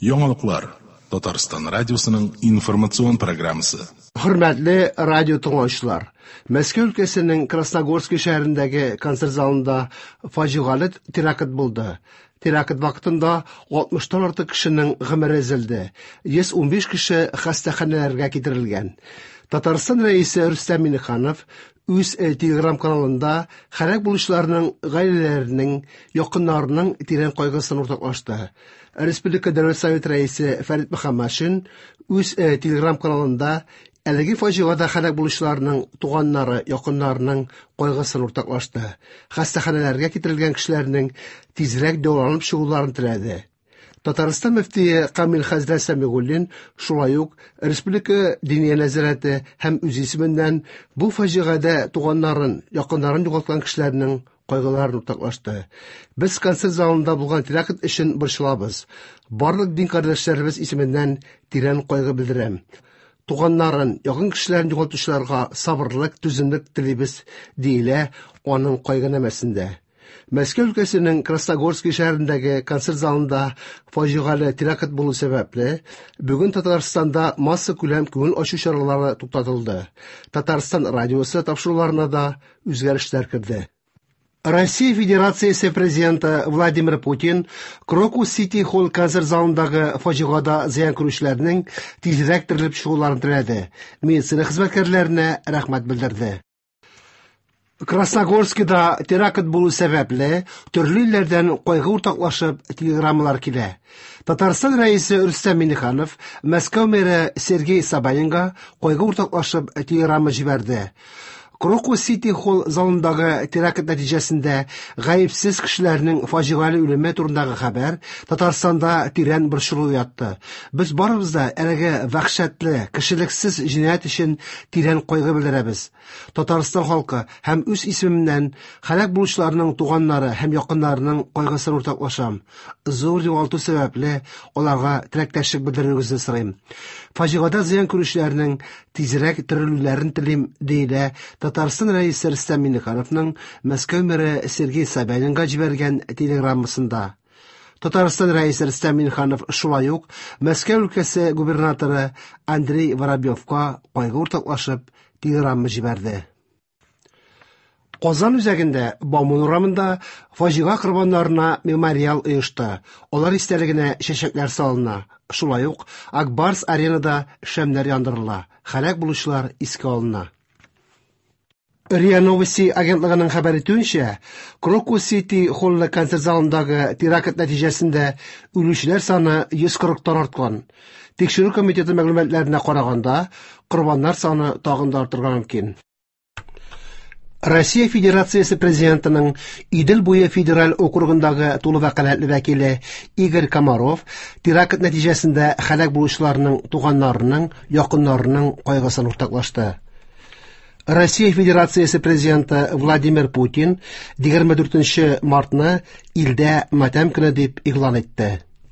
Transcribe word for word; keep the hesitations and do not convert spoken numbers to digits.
Яңалыклар Татарстан радиосының информацион программасы. Хөрмәтле радио тыңлаучылар, Мәскәү өлкәсенең Красногорский шәһәрендәге концерт залында фаҗигале теракт булды. Теракт вакытында алтмыштан артык кешенең гомере өзелде. йөз унбиш кеше хастаханәләргә китерелгән. Татарстан рәисе Рөстәм Миңнеханов үз Телеграм каналында һәлак булучыларның гаиләләренең, якыннарының тирән кайгысын уртаклашты. Республика Дәүләт Советы рәисе Фәрит Мөхәммәтшин үз Телеграм каналында әлеге фаҗигада һәлак булучыларның туганнары, якыннарының кайгысын уртаклашты. Хастаханәләргә китерелгән кешеләрнең тизрәк дәваланып чыгуларын теләде. Татарстан мөфтие Камил хәзрәт Сәмигуллин шулай ук Республика Диния нәзарәте һәм үз исеменнән бу фаҗигадә туганнарын, якыннарын югалткан кешеләрнең кайгыларын уртаклашты. Без концерт залында булган теракт өчен борчылабыз. Барлык дин кардәшләребез исеменнән тирән кайгы белдерәм. Туганнарын, якын кешеләрен югалтучыларга сабырлык, түземлек телибез, диелә аның кайгынамәсендә. Мәскәү өлкәсенең Красногорский шәһәрендәге концерт залында фаҗигале теракт булу сәбәпле, бүген Татарстанда массакүләм күңел ачу чаралары туктатылды. Татарстан радиосы тапшыруларына да үзгәрешләр керде. Россия Федерациясе президенты Владимир Путин Крокус Сити Холл концерт залындагы фаҗигада зыян күрүчеләрнең тизрәк терелеп чыгуларын теләде. Медицина хезмәткәрләренә рәхмәт белдерде. Красногорскида теракт булу сәбәпле төрле илләрдән кайгы уртаклашып телеграммалар килә. Татарстан рәисе Рөстәм Миңнеханов Мәскәү мэры Сергей Собянинга кайгы уртаклашып телеграмма җибәрде. Крокус Сити Холл залындагы теракт нәтиҗәсендә гаепсез кешеләрнең фаҗигале үлеме турындагы хәбәр Татарстанда тирән борчылу уятты. Без барыбыз да әлеге вәхшәтле, кешелексез җинаять өчен тирән кайгы белдерәбез. Татарстан халкы һәм үз исемемнән һәлак булучыларның туганнары һәм якыннарының кайгысын уртаклашам. Зур югалту сәбәпле аларга теләктәшлек белдерүегезне сорыйм. Фаҗигада зыян күрүчеләрнең тизрәк терелүләрен телим, диелә Татарстан рәисе Рөстәм Миңнехановның Мәскәү мэры Сергей Собянинга җибәргән телеграммасында. Татарстан рәисе Рөстәм Миңнеханов шулай ук Мәскәү өлкәсе губернаторы Андрей Воробьевка кайгы уртаклашып телеграмма җибәрде. Казан үзәгендә Бауман урамында фаҗига корбаннарына мемориал оешты. Алар истәлегенә чәчәкләр салына. Шулай ук Акбарс аренада шәмнәр яндырыла. Һәлак булучылар искә алына. РИА Новости агентлыгының хәбәр итүенчә, Крокус Сити Холлы концерт залындагы теракт нәтиҗәсендә үлүчеләр саны йөз кырыктан арткан. Тикшерү комитеты мәгълүматларына караганда, корбаннар саны тагын да артырга мөмкин. Россия Федерациясе президентының Идел буе федераль округындагы тулы вәкаләтле вәкиле Игорь Комаров теракт нәтиҗәсендә һәлак булучыларның туганнарының, якыннарының кайгысын уртаклашты. Россия Федерациясе президенты Владимир Путин егерме дүртенче мартны илдә матәм көне дип игълан итте.